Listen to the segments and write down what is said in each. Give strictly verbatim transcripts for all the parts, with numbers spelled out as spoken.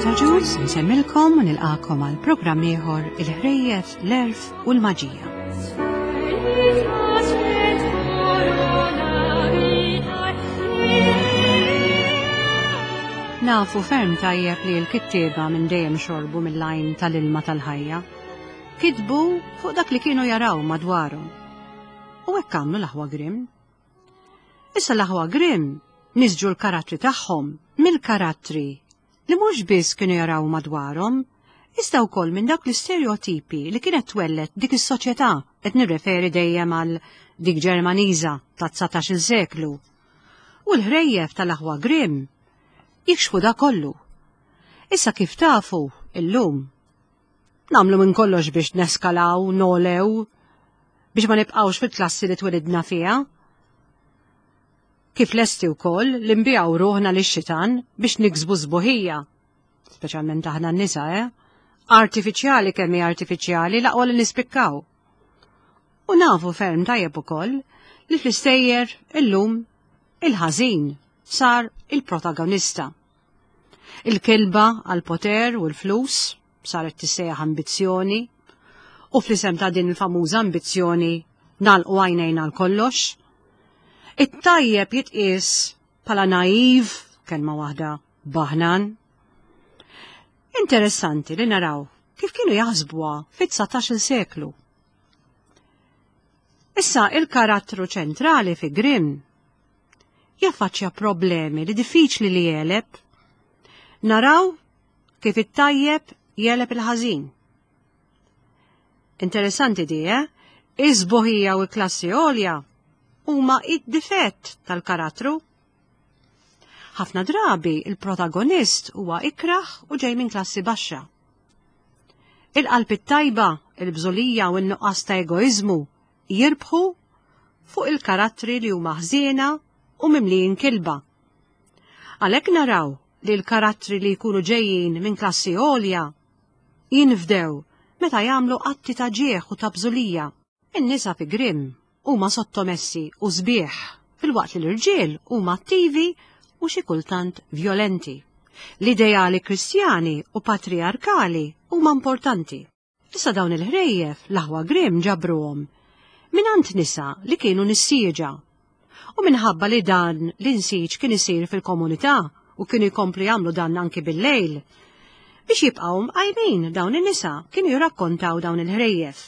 Margaret Agius, nsemmilkom u nilqakom għal programm ieħor il-ħrejjef, l-erf u l-maġija. Nafu ferm tajjeb li l-kittieba minn dejjem xorbu mill-għajn tal-ilma tal-ħajja. Kitbu fuq dak li kienu jaraw madwarhom. U hekk għamlu l-aħwa Grimm. Issa l-aħwa Grimm nisġu l-karattri tagħhom mill-karattri li mhux biss kienu jaraw madwarhom, iżda wkoll minn dawk l-istereotipi li kienet twellet dik is-soċjetà qed nirreferi dejjem għal dik Ġermaniża tat-dsatax-il seklu. U l-ħrejjef tal-aħwa Grimm jikxfu da kollu. Issa kif tafu illum nagħmlu minn kollox biex neskalaw, nolew, biex ma nibqgħux fil-klassi li twelidna fiha. Kif lesti wkoll li nbiegħu ruħna lix-xitan biex niksbu sbuħija, speċjalment aħna n-nisa, eh? Artifiċjali kemm hi artifiċjali l-aqwa li nispikkaw. U nafu ferm tajjeb ukoll li fl-istejjer illum il-ħażin sar il-protagonista. Il-kilba għal-poter u l-flus saret tissejjaħ ambizzjoni, u fl-isem ta' din il-famuża ambizzjoni nagħlqu għajnejna għal kollox. It-tajjeb jitqies bħala naiv, kelma waħda baħnan. Interessanti li naraw kif kienu jaħsbuha fit-dsatax-il seklu. Issa il-karattru ċentrali fi Grimm jaffaċċja problemi li diffiċli li jeleb. Naraw kif it-tajjeb jeleb il-ħażin. Interessanti di, eh? Iż-sbuħija u l-klassi għolja huma id-difett tal-karattru. Ħafna drabi il-protagonist huwa ikraħ u ġej minn klassi baxxa. Il-qalb it-tajba, il-bżulija u n-nuqqas ta' egoizmu jirbħu fuq il-karattri li huma ħżiena u mimlijin kilba. Għalhekk naraw li l-karattri li jkunu ġejjin minn klassi għolja jinfdew meta jagħmlu atti ta' ġieħ u ta' bżulija. In-nisa fi Grimm huma sottomessi u sbieħ, filwaqt li l-irġiel huma attivi u xi kultant vjolenti. L-ideali kristjani u patriarkali huma importanti. Issa dawn il-ħrejjef l-aħwa Grimm ġabruhom mingħand nisa li kienu nissieġa. U minħabba li dan l-insiġ kien isir fil-komunità u kienu jkomplu jagħmlu dan anki bil-lejl, biex jibqgħu mqajmin dawn in-nisa kienu jirrakkontaw dawn il-ħrejjef.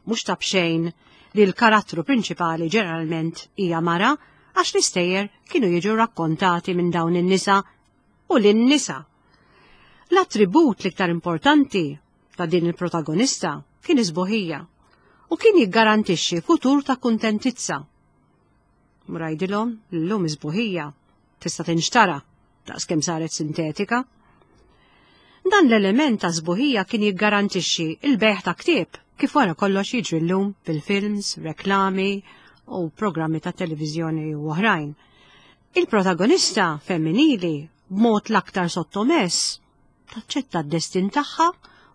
Mhux ta' b'xejn li l-karattru prinċipali ġeneralment hija mara, għax l-istejjer kienu jiġu rakkontati minn dawn in-nisa u lin-nisa. L-attribut l-iktar importanti ta' din il-protagonista kien isbuħija u kien jiggarantixxi futur ta' kuntentizza. Mrajdilhom l-lum isbuħija tista' tinxtara daqs kemm saret sintetika. Dan l-element ta' sbuħija kien jiggarantixxi il-bejgħ ta' ktieb, kif wara kollox jiġri llum bil-films, reklami u programmi ta' televiżjoni u oħrajn. Il-protagonista femminili b'mod l-aktar sottomess taċċetta d-destin tagħha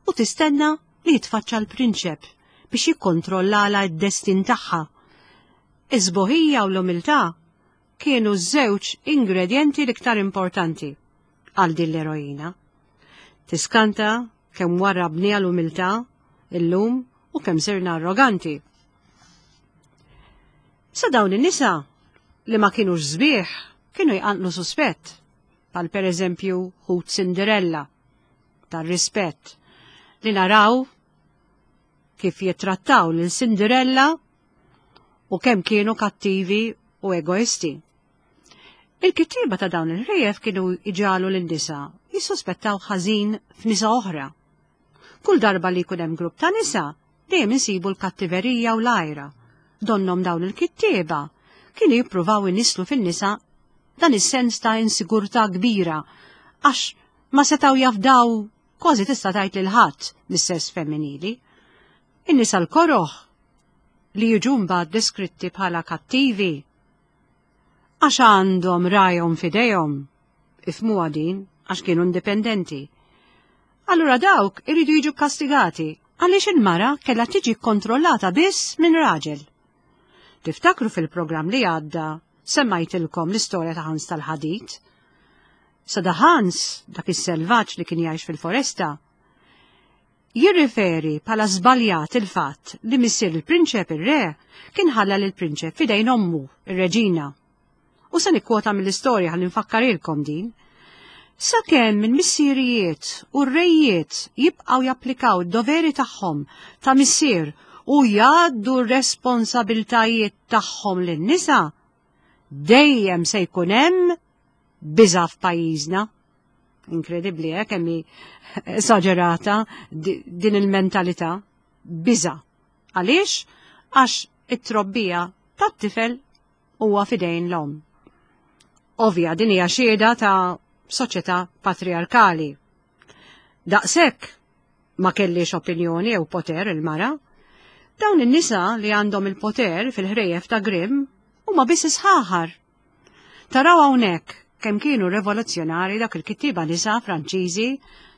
u tistenna li jitfaċċa l-prinċep biex jikkontrollala d-destin tagħha. Iż-sbuħija u l-umiltà kienu ż-żewġ ingredienti l-iktar importanti għal din l-eroina. Tiskanta kemm warrabniha l-umiltà illum u kemm sirna arroganti. Sa dawn in-nisa li ma kienux sbieħ kienu jqanqlu suspett, bħal per eżempju ħut Cinderella tar-rispett li naraw kif jittrattaw lil Cinderella u kemm kienu kattivi u egoisti. Il-kittieba ta' dawn il-ħrejjef kienu iġalu lin-nisa jissuspettaw ħażin f'nisa oħra. Kull darba li jkun hemm grupp ta' nisa, dejjem insibu l-kattiverija u l-għajra. Donnom dawn il-kittieba kienu jippruvaw inislu fin-nisa dan is-sens ta' insigurtà kbira għax ma setgħu jafdaw kważi tista' tgħid lil ħadd mis-sess femminili. In-nisa l-koroħ li jiġu mbagħad deskritti bħala kattivi għax għandhom rajhom f'idejhom, ifmuha din għax kienu indipendenti. Allura dawk iridu jiġu kastigati għaliex il-mara kellha tiġi kontrollata biss minn raġel. Tiftakru fil-programm li għadda semmajtilkom l-istorja ta' Hans tal-Ħadid. Sada Hans, dak is-selvaġġ li kien jgħix fil-foresta, jirriferi bħala żbaljat il-fatt li missier il-prinċep ir-re kien ħalla lil prinċep fidejn ommu, ir-reġina. U se nikkwota mill-istorja ħalli nfakkarilkom din. Sakemm il-missirijiet u r-rejiet jibqgħu japplikaw id-doveri tagħhom ta' missier u jgħaddu r-responsabiltajiet tagħhom lin-nisa, dejjem se jkun hemm biża' f'pajjiżna. Inkredibbli, eh, kemm hi esaġerata din il-mentalità. Biża'. Għaliex? Għax it-trobbija tat-tifel huwa fidejn l-omm. Ovvja, din hija xhieda ta' soċjetà patriarkali. Daqshekk ma kellix opinjoni jew poter il-mara. Dawn in-nisa li għandhom il-poter fil-ħrejjef ta' Grimm huma biss isħaħar. Taraw hawnhekk kemm kienu rivoluzzjonari dak il-kittieba nisa Franċiżi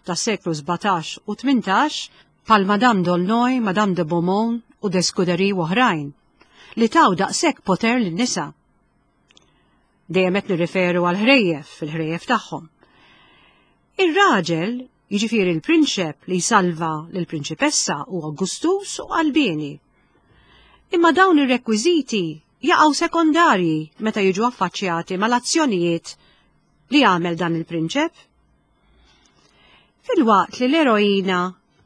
tas-seklu sbatax u tmintax bħal Madame d'Aulnoy, Madame de Beaumont u de Scudéry u oħrajn, li taw daqshekk poter lin-nisa. Dejjem qed nirriferu għal ħrejjef fil-ħrejjef tagħhom. Ir-raġel, jiġifieri l-prinċep li jsalva lill-prinċipessa, huwa gustus u qalbieni. Imma dawn ir-rekwiżiti jaqgħu sekondarji meta jiġu affaċċjati mal-azzjonijiet li għamel dan il-prinċep. Filwaqt li l-eroina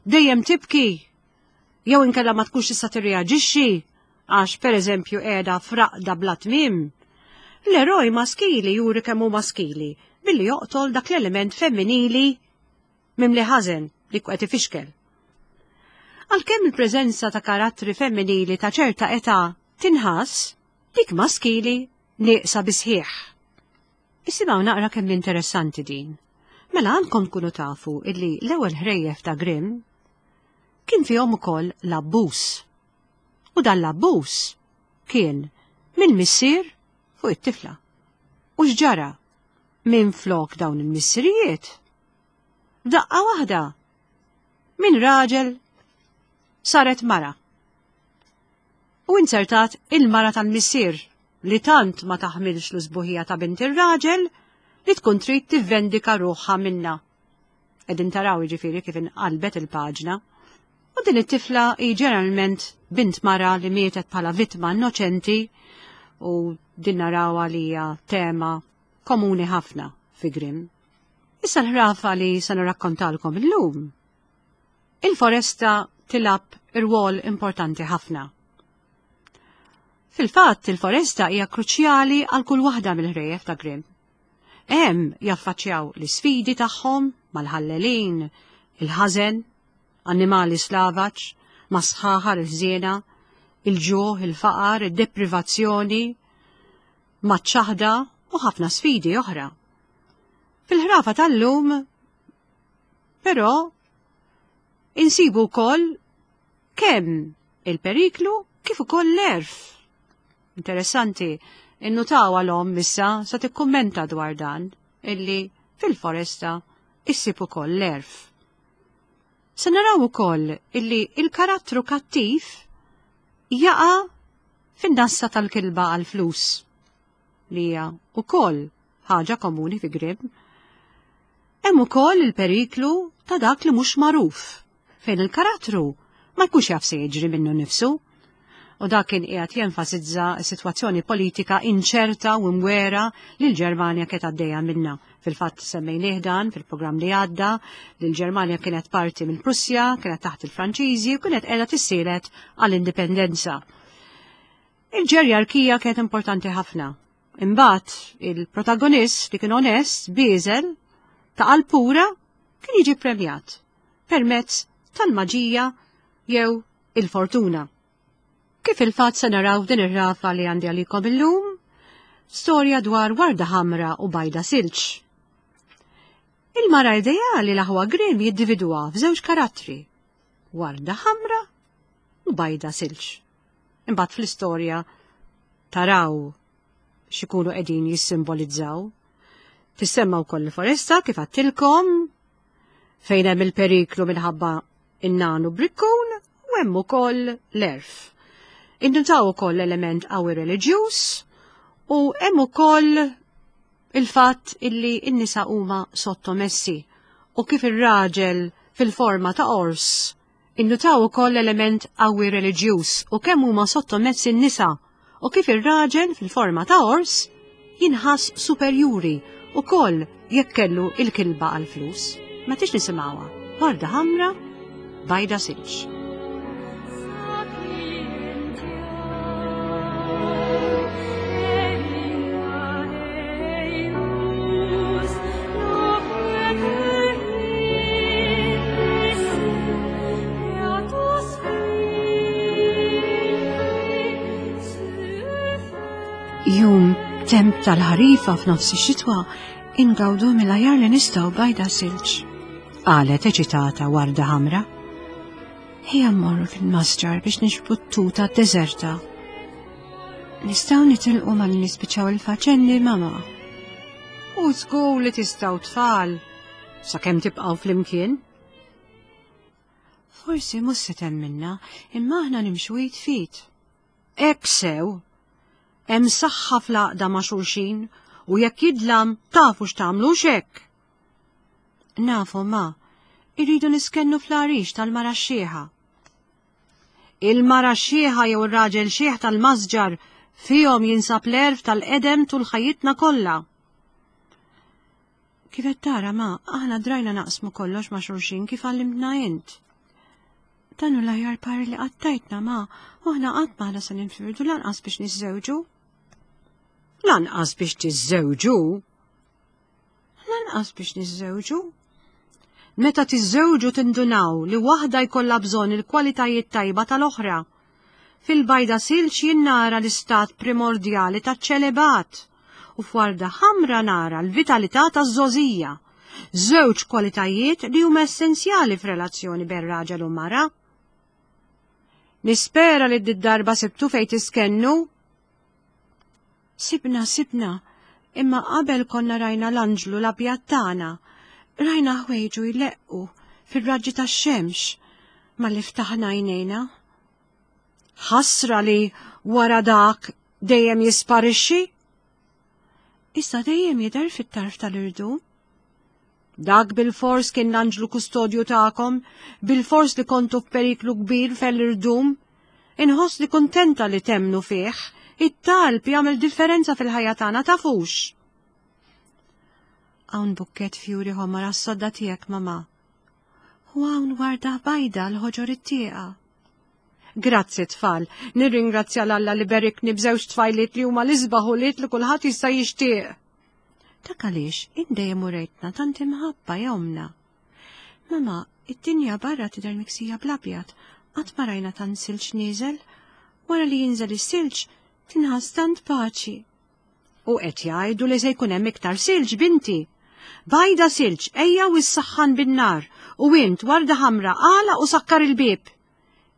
dejjem tibki jew inkella ma tkunx tista' tirreaġixxi għax pereżempju qiegħda fraqda bla tmiem, l-eroj maskili juri kemm hu maskili billi joqtol dak l-element femminili mimli ħażen li qed ifixkel. Għalkemm il-preżenza ta' karattri femminili ta' ċerta età tinħass, dik maskili nieqsa bisħieħ. Isimgħu naqra kemm interessanti din. Mela għandkom tkunu tafu illi l-ewwel ħrejjef ta' Grimm kien fihom ukoll l-abbuż. U dan l-abbuż kien minn missier fuq it-tifla. U x'ġara? Minn flok dawn il-missirijiet. Daqqa waħda minn raġel saret mara. U insertat il-mara tal-missier li tant ma taħmilx l-sbuħija ta' bint ir-raġel li tkun trid tivvendika ruħha minna. Qegħdin taraw jiġifieri kif inqalbet il-paġna. U din it-tifla hi ġeneralment bint mara li mietet bħala vittma innoċenti, u din narawha li hija tema komuni ħafna fi Grimm. Issa l-ħrafa li se nirrakkontalkom illum. Il-foresta tilab irwol importanti ħafna. Fil-fatt, il-foresta hija kruċjali għal kull waħda mill-ħrejjef ta' Grimm. Hemm jaffaċċjaw l-isfidi tagħhom mal-ħallelin, il-ħażen, annimali slavaġ, masħaħar il-ħżiena, il-ġuħ, il-faqar, id-deprivazzjoni, maċ-ċaħda u ħafna sfidi oħra. Fil-ħrafa tal-lum, però, insibu wkoll kemm il-periklu kif ukoll l-erf. Interessanti, innutaw għalhom issa sa tikkummenta dwar dan illi fil-foresta issib ukoll l-erf. Se naraw ukoll illi il-karattru kattiv jaqa' fin-nassa tal-kilba għal-flus, li hija ukoll ħaġa komuni fi Grimm. Hemm ukoll il-periklu ta' dak li mhux magħruf, fejn il-karattru ma jkunx jaf se jiġri minnu nnifsu. U dak kien qiegħed jenfasizza s-sitwazzjoni politika inċerta u mwera li l-Ġermanja kienet għaddejja minnha. Fil-fatt semmejnieh dan fil-programm li għadda, li l-Ġermanja kienet parti mill Prussja, kienet taħt il-Franċiżi u kienet qiegħda tissielet għall-indipendenza. Il-ġerjarkija kienet importanti ħafna. Imbagħad il-protagonist li kien onest, bieżel, ta' qalb pura, kien jiġi premjat permezz tal-maġija jew il-fortuna. Kif il-fatt se naraw din ir-rafa li għandi għalikom illum, storja dwar warda ħamra u bajda silġ. Il-mara ideali l-aħwa Grimm jiddividwa f'żewġ karattri, warda ħamra u bajda silġ. Imbagħad fl-istorja taraw x'ikunu qegħdin jissimbolizzaw. Tissemma wkoll il-foresta kif għattilkom, fejn hemm il-periklu minħabba in-nanu brikkun u hemm ukoll l-erf. Induntaw ukoll element qawwi reliġjuż u hemm ukoll Il-fatt illi n-nisa huma sottomessi u kif ir-raġel fil-forma ta' ors. Innutaw ukoll element qawwi reliġjuż u kemm huma sottomessi n-nisa u kif ir-raġel fil-forma ta' ors jinħass superjuri ukoll jekk kellu il-kilba għall-flus. Ma tix nisimgħuha. Warda ħamra, bajda silġ. Jum temp tal-ħarifa f'nofs ix-xitwa ingawdu mill-ajar li nistgħu bajda silġ. Qalet eċitata warda ħamra. Ejja mmorru fil-masġar biex nixbru t-tuta d-deżerta. Nistgħu nitilqu malli nispiċċaw il-faċendi, mama. U żgur li tistgħu tfal, sakemm tibqgħu flimkien. Forsi mhux se temminna, imma aħna nimxu id f'id. Hekk sew. Hemm saħħa fl-għaqda ma' xulxin u jekk jidlam tafu x'tagħmlu hekk. Nafu ma, irridu niskennu fl-għarix tal-mara x-xieħa. Il-mara x-xieħa jew ir-raġel xieħ tal-masġar fihom jinsab l-għerf tal-qedem tul ħajjitna kollha. Kif qed tara ma, aħna drajna naqsmu kollox ma' xulxin kif għallimtna int. Dan hu l-aħjar par li qatt tajtna ma, u aħna qatt m'aħna se ninfirdu lanqas biex niżżewġu. Lanqas biex tiżżewġu? Lanqas biex niżżewġu. Meta tiżżewġu tindunaw li waħda jkollha bżonn il-kwalitajiet tajba tal-oħra. Fil-bajda silġ jien nara l-istat primordjali taċ-ċelebat u f'warda ħamra nara l-vitalità taż-żgħożija. Żewġ kwalitajiet li huma essenzjali f'relazzjoni bejn raġel u mara. Nispera li d-darba sibtu fejn tiskennu. Sibna, sibna, imma qabel konna rajna l-anġlu l-abjad tagħna. Rajna ħwejġu jleqqu fir-raġġi tax-xemx malli ftaħna għajnejna. Ħasra li wara dak dejjem jisparixxi. Issa dejjem jidher fit-tarf tal-irdum. Dak bil-fors kien l-anġlu kustodju tagħkom, bil-fors li kontu f'periklu kbir fell-irdum. Inħoss li kuntenta li temnu fih, it-talb jagħmel differenza fil-ħajja tagħna tafux. Hawn bukket fjuri ħomar għas-sodda tiegħek, mama. U hawn warda bajda l-ħoġor it-tieqa. Grazzi tfal, nirringrazzja l-Alla li berikni b'żewġ tfajliet li huma l-isbaħ ulied li kulħadd jista' jixtieq. Dak għaliex int dejjem urejtna tant imħabba ja omna. Mama, id-dinja barra tidher miksija bl-abjad, qatt ma rajna tant silġ nieżel. Wara li jinżel is-silġ tinħass tant paċi. U qed jgħidu li se jkun hemm iktar silġ, binti. Bajda silġ, ejja u issaħħan bin-nar, u int warda ħamra għala u sakkar il-bieb.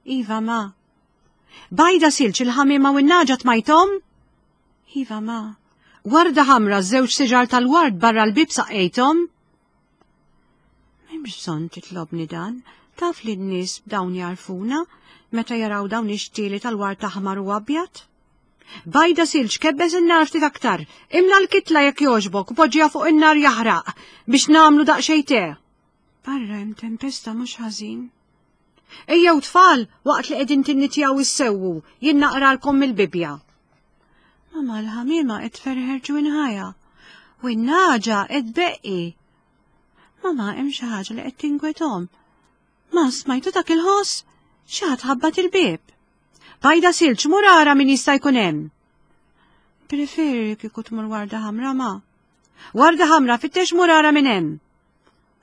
Iva ma. Bajda silġ il-ħamiema u n-naġa tmajthom? Iva ma. Warda ħamra żewġ siġar tal-ward barra l-bieb saqqejthom? M'hemmx bżonn titlobni dan, taf li n-nies b'dawn jarfuna meta jaraw dawn ix-xtieli tal-ward aħmar u abjad. Bajda silġ kebbes in-nar ftit aktar, imla l-kitla jekk jogħġbok u poġġiha fuq in-nar jaħraq biex nagħmlu daqsxejn te. Barra hemm tempesta mhux ħażin. Ejjew tfal waqt li qegħdin tinnitjaw issewwu, jien naqralkom mill-Bibbja. Mama l-ħamiema qed tferħer ġwinħajha u n-naġa qed tbeqqi. Mama hemm xi ħaġa li qed tingwethom. Ma smajtu dak il-ħoss? Xi ħadd ħabbat il-bieb. Bajda silġ mur ara min jista' jkun hemm. Preferi kieku tmur warda ħamra ma. Warda ħamra fittex mur ara min hemm.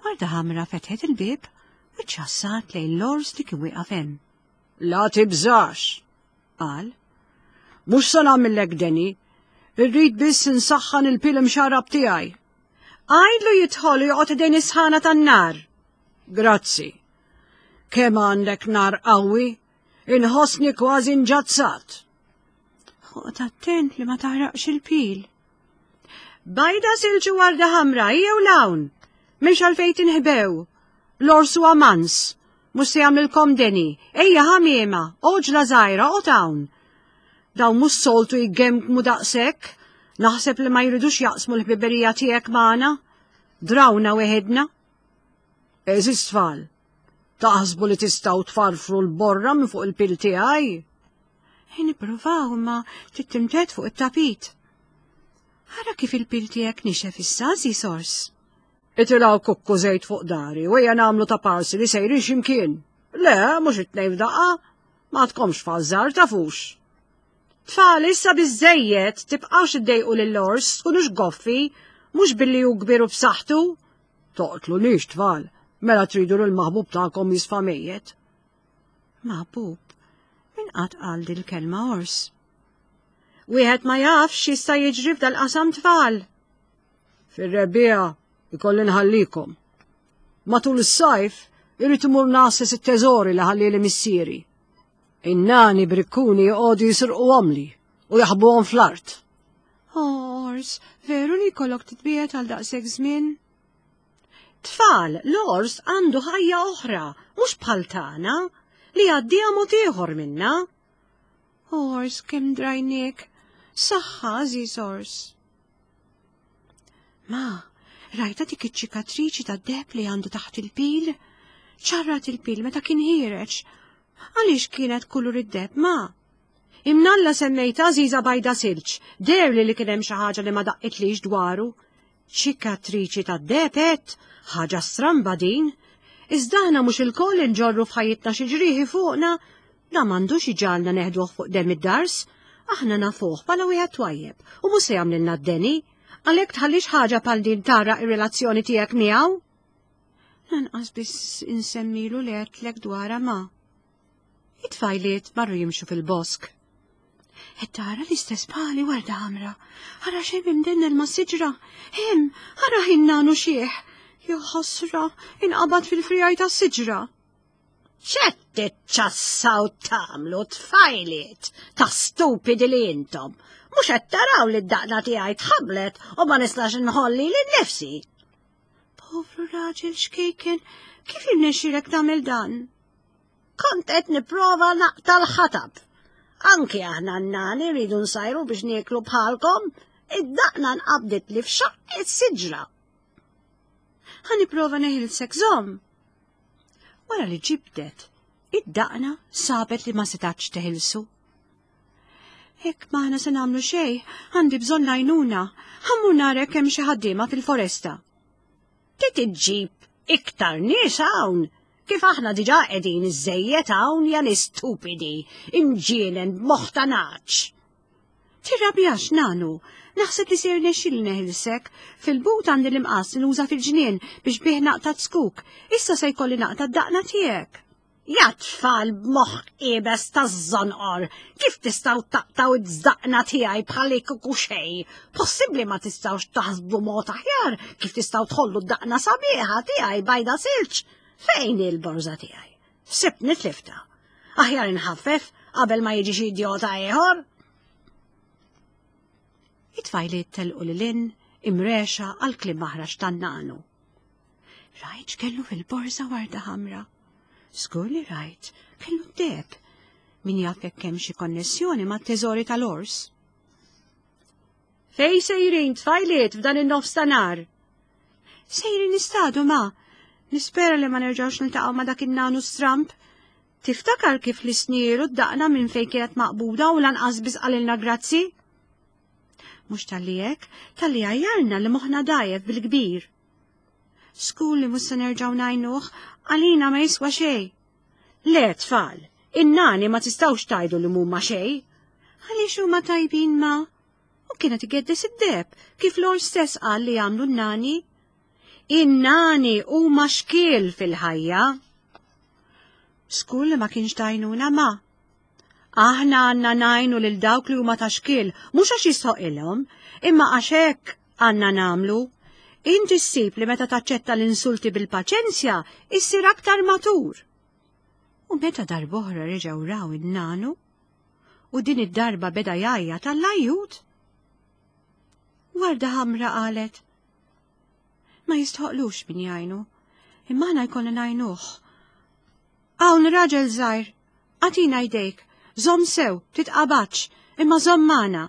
Warda ħamra fetħet il-bieb u ċassat lejn l-ors li kien wieqaf hemm. La tibżax, qal. Mhux se nagħmillek deni, irrid biss insaħħan il-pil imxarrab tiegħi. Għidlu jidħol u joqgħod idejn is-sħana tan-nar. Grazzi. Kemm għandek nar qawwi, inħossni kważi nġazzat. Oqgħod attent li ma taħraqx il-pil. Bajda silġu warda ħamra, ejjew 'l hawn. M'hemmx għalfejn tinħbew. L-ors huwa mans, mhux se jagħmlilkom deni. Ejja ħamiema, oġla żgħira, oqgħod hawn. Dawn mhux soltu jgemgmu daqshekk. Naħseb li ma jridux jaqsmu l-ħbiberija tiegħek magħna. Drawna weħidna. Eżis tfal, taħsbu li tistgħu tfarfru l-borra minn fuq il-pil tiegħi? Nippruvaw imma trid timted fuq it-tapit. Ara kif il-pil tiegħek nixef issa, għażiż ors. Itilgħu kukku żejt fuq dari u ejja nagħmlu ta' parsi li sejrin x'imkien. Le, mhux it-tnejn f'daqqa. Ma tkomx fażżar tafux. Tfal, issa biżejjed, tibqgħux iddejqu lill-ors, tkunux goffi, mhux billi hu kbir u b'saħħtu. Toqtlunix tfal, mela tridu l maħbub tagħkom jisfa' mejjet. Maħbub, min qatt qal dil-kelma ors? Wieħed ma jafx x'jista' jiġri f'dal-qasam tfal. Fir-rebbiegħa ikolli nħallikom. Matul is-sajf irrid imur ngħasses it-teżori li ħallieli missieri. In-nani brikkuni joqogħdu jisirquhomli u jaħbuhom fl-art. Ors, veru li jkollok titbiegħed għal daqshekk żmien? Tfal, l-ors għandu ħajja oħra, mhux bħal tagħna, li jgħaddiha mod ieħor minna. Ors, kemm drajniek, saħħa, għażiż ors. Ma, rajta dik iċ-ċikatriċi tad-deheb li għandu taħt il-pil? Ċarrat il-pil meta kien ħiereġ. Għaliex kienet kulur id-deheb, ma? Imnalla semmejt għażiża bajda silġ, deherli li kien hemm xi ħaġa li ma daqqitlix dwaru. Ċikatriċi tad-deheb għedt, ħaġa stramba din. Iżda aħna mhux ilkoll inġorru f'ħajjitna xi ġrieħi fuqna, da m'għandux iġagħalna neħduh fuq demm id-dars. Aħna nafuh bħala wieħed twajjeb u mhux se jagħmlilna d-deni. Għalhekk tħallix ħaġa bħal din tgħarraq ir-relazzjoni tiegħek miegħu. Lanqas biss insemmilu li għedtlek dwarha ma. It-tfajliet marru jimxu fil-bosk. Qed tara l-istess bħali warda ħamra. Ara xejn imdennel ma' siġra. Hemm, ara in-nanu xiħ. Jo ħasra, inqabad fil-frijaj ta' siġra. X'qed tiċċassaw tagħmlu tfajliet ta' stupidi li intom. Mhux qed taraw li d-daqna tiegħi tħabblet u ma nistax inħolli lil nifsi. Povru raġel xkejken, kif irnexxielek tagħmel dan? Kont qed nipprova naqta' l-ħatab. Anki aħna n-nani rridu nsajru biex nieklu bħalkom, id-daqna nqabdet li f'xaqq is-siġra. Ħa nipprova neħilsek żomm. Wara li ġibdet, id-daqna sabet li ma setax teħilsu. Hekk m'aħna se nagħmlu xejn, għandi bżonn l-għajnuna, ħa mmur nara hemm xi ħaddiema fil-foresta. Trid iġġib iktar nies hawn, kif aħna diġà qegħdin iżejjed hawn ja nies stupidi, imġienen b'moħħ ta' nagħaġ. Tirrabjax nanu, naħseb li se jirnexxili neħilsek, fil-but għandi l-imqas li nuża fil-ġnien biex bih naqta' zkuk, issa se jkolli naqta' d-daqna tiegħek. Ja tfal b'moħħ iebes taż-żonqor, kif tistgħu taqtgħu d-daqna tiegħi bħal kieku xejn? Possibbli ma tistgħux taħsbu mod aħjar kif tistgħu tħollu d-daqna sabiħa tiegħi bajda silġ? Fejn il-borża tiegħi? Sibtni tliftha. Aħjar inħaffef qabel ma jiġi xi idjota ieħor. It-tfajliet telqu lil hinn imrexa għal kliem maħrax tan-nanu. Rajt kellu fil-borża warda ħamra. Żgur li rajt, kellu d-deheb. Min jaf jekk hemm xi konnessjoni mat-teżori tal-ors. Fej sejrin tfajliet f'dan in-nofs ta' nar? Sejrin nistadu ma. Nispera li ma nerġgħux niltaqgħu ma' dak in-nanu stramp. Tiftakar kif li snieru d-daqna minn fejn kienet maqbuda u lanqas biss qalilna grazzi? Mhux talli hekk, talli għajjarna li moħħna dgħajjef bil-kbir. Żgur li mhux se nerġgħu ngħinuh, għalina ma jiswa xejn. Le tfal, in-nani ma tistgħux tgħidu li mhuma xejn. Għaliex huma tajbin ma? U kienet igeddes id-deheb, kif l-ors stess qal li jagħmlu n-nani. In-nani huma xkiel fil-ħajja. Żgur li ma kienx tajnuna ma. Aħna għandna ngħinu lil dawk li huma ta' xkiel, mhux għax jistħoqilhom, imma għax hekk għandna nagħmlu. Inti ssib li meta taċċetta l-insulti bil-paċenzja, issir aktar matur. U meta darb'oħra reġgħu raw in-nanu, u din id-darba beda jgħajjat għall-ajjut. Warda ħamra qalet, ma jistħoqlux min jgħinu, imma aħna jkollna ngħinuh. Hawn raġel żgħir, agħtina jdejk, żomm sew, titqabadx, imma żomm magħna.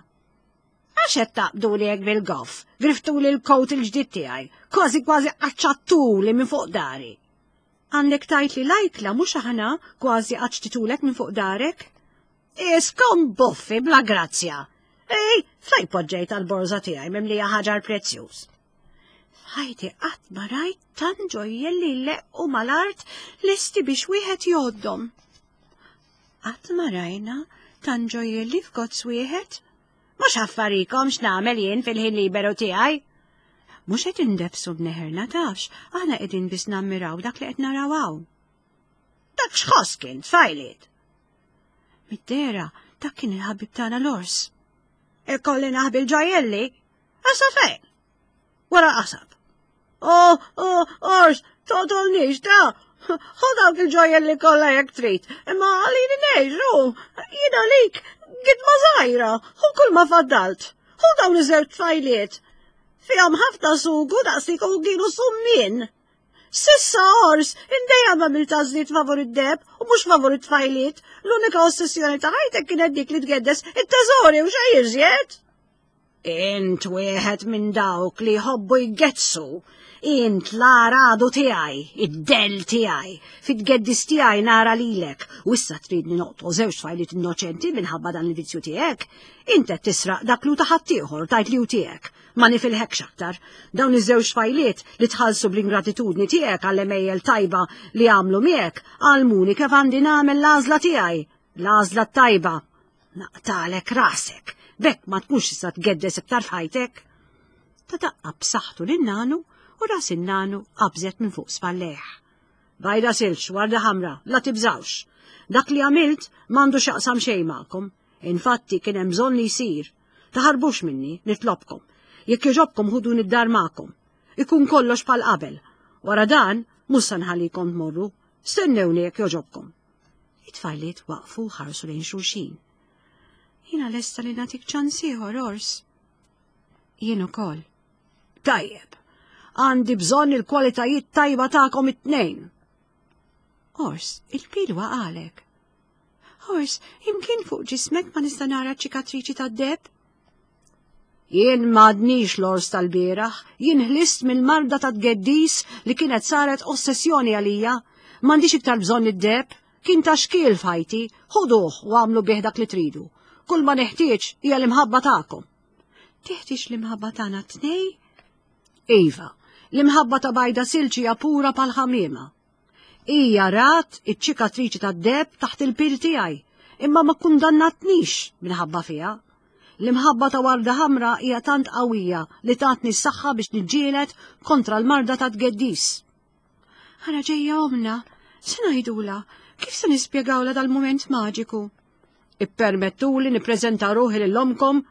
Għax qed taqbduli hekk bil-goff, griftuli l-kowt il-ġdid tiegħi, kważi kważi qaċċattuli minn fuq dari. Għandek tajt li lajkla mhux aħna kważi qaċċtitulek minn fuq darek? Iskom buffi bla grazzja. Ej, fej poġġejt għal-borża tiegħi mimlija ħaġar prezzjuż. Ħajti qatt ma rajt tant ġojjelli leqqu mal-art lesti biex wieħed jgħoddhom. Qatt ma rajna tant ġojjelli f'gozz wieħed? Mhux affarikom x'nagħmel jien fil-ħin liberu tiegħi. Mhux qed indefsu b'neħerna tafx, aħna qegħdin biss nammiraw dak li qed naraw hawn. Dak x'ħoss kien tfajliet. Mid-dehra dak kien il-ħabib tagħna l-ors. Ikolli naħbi l-ġojjelli? Issa fejn? Wara qasab. Oh, oh, ors, toqtolnix, ta! Ħu dawk il-ġojjelli kollha jekk trid, imma ħallini ngħix, u jien għalik gidma żgħira, ħu kull ma faddalt. Ħu dawn iż-żewġ tfajliet. Fihom ħafna sugu daqs u kienu summien. S'issa ors, int dejjem għamilt għażliet favur id-deheb u mhux favur it-tfajliet. L-unika ossessjoni ta' ħajtek kienet dik li tgeddes it-teżori u xejn iżjed. Int wieħed minn dawk li jħobbu jgeddsu. Int l-għadu tiegħi, id-dell tiegħi, fit-tgeddis tiegħi nara lilek, u issa tridni noqtol żewġ tfajliet innoċenti minħabba dan il-vizzju tiegħek. Int qed tisraq dak li ta' ħaddieħor tgħid li hu tiegħek. Ma nifilħekx aktar. Dawn iż-żewġ tfajliet li tħallsu bl-ingratitudni tiegħek għall-għemejjel tajba li għamlu miegħek, għallmuni kif għandi nagħmel l-għażla tiegħi, l-għażla tajba. Naqtalek rasek, b'hekk ma tkunx tista' tgeddes iktar f'ħajtek. Ta daqqa b'saħħtu lin-nanu u ras in-nanu qabżet minn fuq spallejh. Bajda Silġ, Warda Ħamra, la tibżawx. Dak li għamilt m'għandu x'jaqsam xejn magħkom. Infatti kien hemm bżonn li jsir. Taħarbux minni, nitlobkom. Jekk jogħġobkom ħuduni d-dar magħkom. Ikun kollox bħal qabel. Wara dan, mhux se nħallikom tmorru. Stennewni jekk jogħġobkom. It-tfajliet waqfu ħarsu lejn xulxin. Jiena lesta li nagħtik ċans ieħor, ors. Jien ukoll. Tajjeb, għandi bżonn il-kwalitajiet tajba tagħkom it-tnejn. Ors, il-pil waqagħlek. Ors, imkien fuq ġismek ma nista' nara ċikatriċi tad-deheb? Jien m'għadnix l-ors tal-bieraħ, jien ħlist mill-marda ta' tgeddis li kienet saret ossessjoni għalija. M'għandix iktar bżonn id-deheb, kien ta' xkiel f'ħajti, ħuduh u għamlu bih dak li tridu. Kull ma neħtieġ hija l-imħabba tagħkom. Teħtieġ l-imħabba tagħna t-tnejn? Iva, l-imħabba ta' Bajda Silġ hija pura bħal ħamiema. Hija rat iċ-ċikatriċi tad-deheb taħt il-pil tiegħi, imma ma kundannatnix minħabba fiha. L-imħabba ta' Warda Ħamra hija tant qawwija li tatni s-saħħa biex niġġieled kontra l-marda ta' tgeddis. Ara ġejja omna, se ngħidula, kif se nispjegawla dal-mument maġiku? Ippermettuli nippreżenta ruħi lil omkom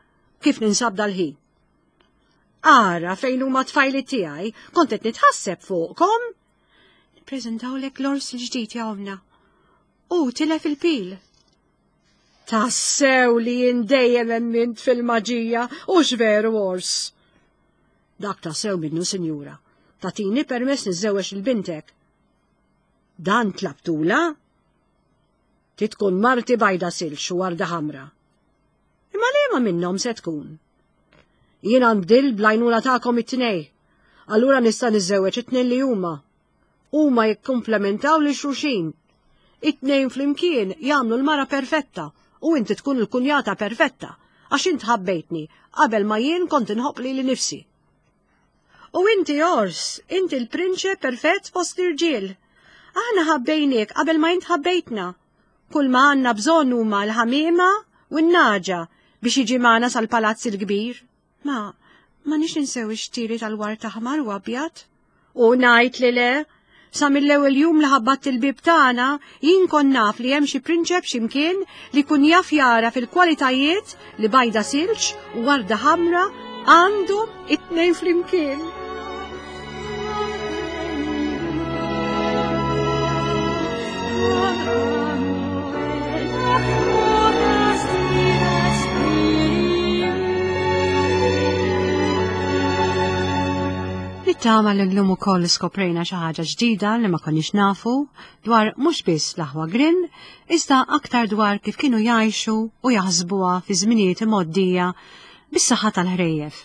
kif ninsab dal-ħin. Ara fejn huma tfajli tiegħi, kont qed nitħasseb fuqkom. Nippreżentawlek l-ors il-ġdid ja omna. U tilef il-pil. Tassew li jien dejjem emmint fil-maġija u veru ors. Dak tassew minnu, sinjura. Tagħtini permess niżżewweġ lil bintek. Dan tlabtula? Titkun marti Bajda Silġ u Warda Ħamra. Imma liema minnhom se tkun? Jiena nbdilt bl-għajnuna tagħkom it-tnejn. Allura nista' niżżewweġ it-tnejn li huma. Huma jikkumplementaw lil xulxin. It-tnejn flimkien jagħmlu l-mara perfetta u inti tkun il-kunjata perfetta għax int ħabbejtni qabel ma jien kont inħobb lili nnifsi. U inti ors, inti l-prinċe perfett fost l-irġiel. Aħna ħabbejniek qabel ma int ħabbejtna. Kull ma għandna bżonn huma l-ħamiema u n-nagħġa biex jiġi magħna sal-palazz il-kbir. Ma, ma nix ninsew ix-xtieli tal-ward aħmar u abjad. U ngħid li le, sa mill-ewwel jum li ħabbat il-bib tagħna, jien kont naf li hemm xi prinċep x'imkien li kun jaf jara fil-kwalitajiet li Bajda Silġ u Warda Ħamra għandhom it-tnejn flimkien. Nittama li llum ukoll skoprejna xi ħaġa ġdida li ma konniex nafu dwar mhux biss l-aħwa Grimm, iżda aktar dwar kif kienu jgħixu u jaħsbuha fi żminijiet imgħoddija bis-saħħa tal-ħrejjef.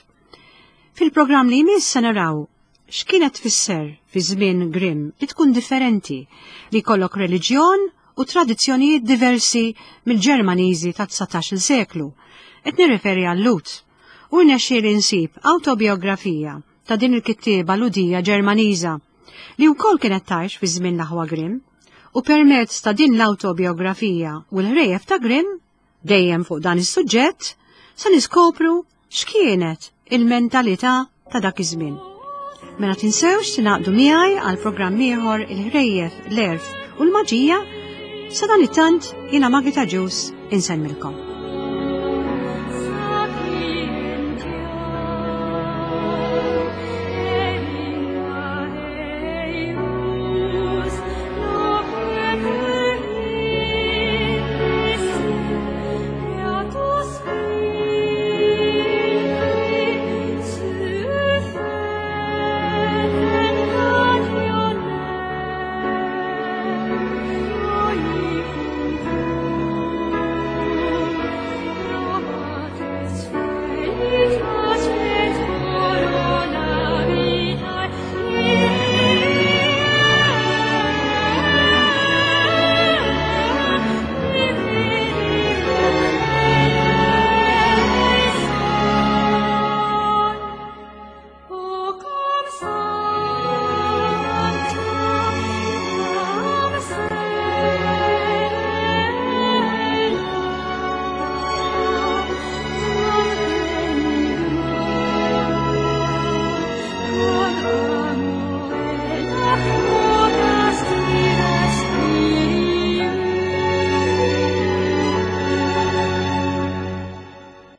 Fil-programm li jmiss se naraw x'kienet tfisser fi żmien Grimm li tkun differenti, li jkollok reliġjon u tradizzjonijiet diversi mill-Ġermaniżi tat-dsatax-il seklu. Qed nirreferi għal-Lhud. U rnexxieli nsib awtobiografija ta' din il-kittieba Lhudija Ġermaniża li wkoll kienet tgħix fi żmien l-aħwa Grimm, u permezz ta' din l-awtobiografija u l-ħrejjef ta' Grimm, dejjem fuq dan is-suġġett, se niskopru x'kienet il-mentalità ta' dak iż-żmien. Mela tinsewx tingħaqdu miegħi għal programm ieħor, Il-Ħrejjef, l-Għerf u l-Maġija. Sadanittant jiena Maggie Ġus insemmilkom.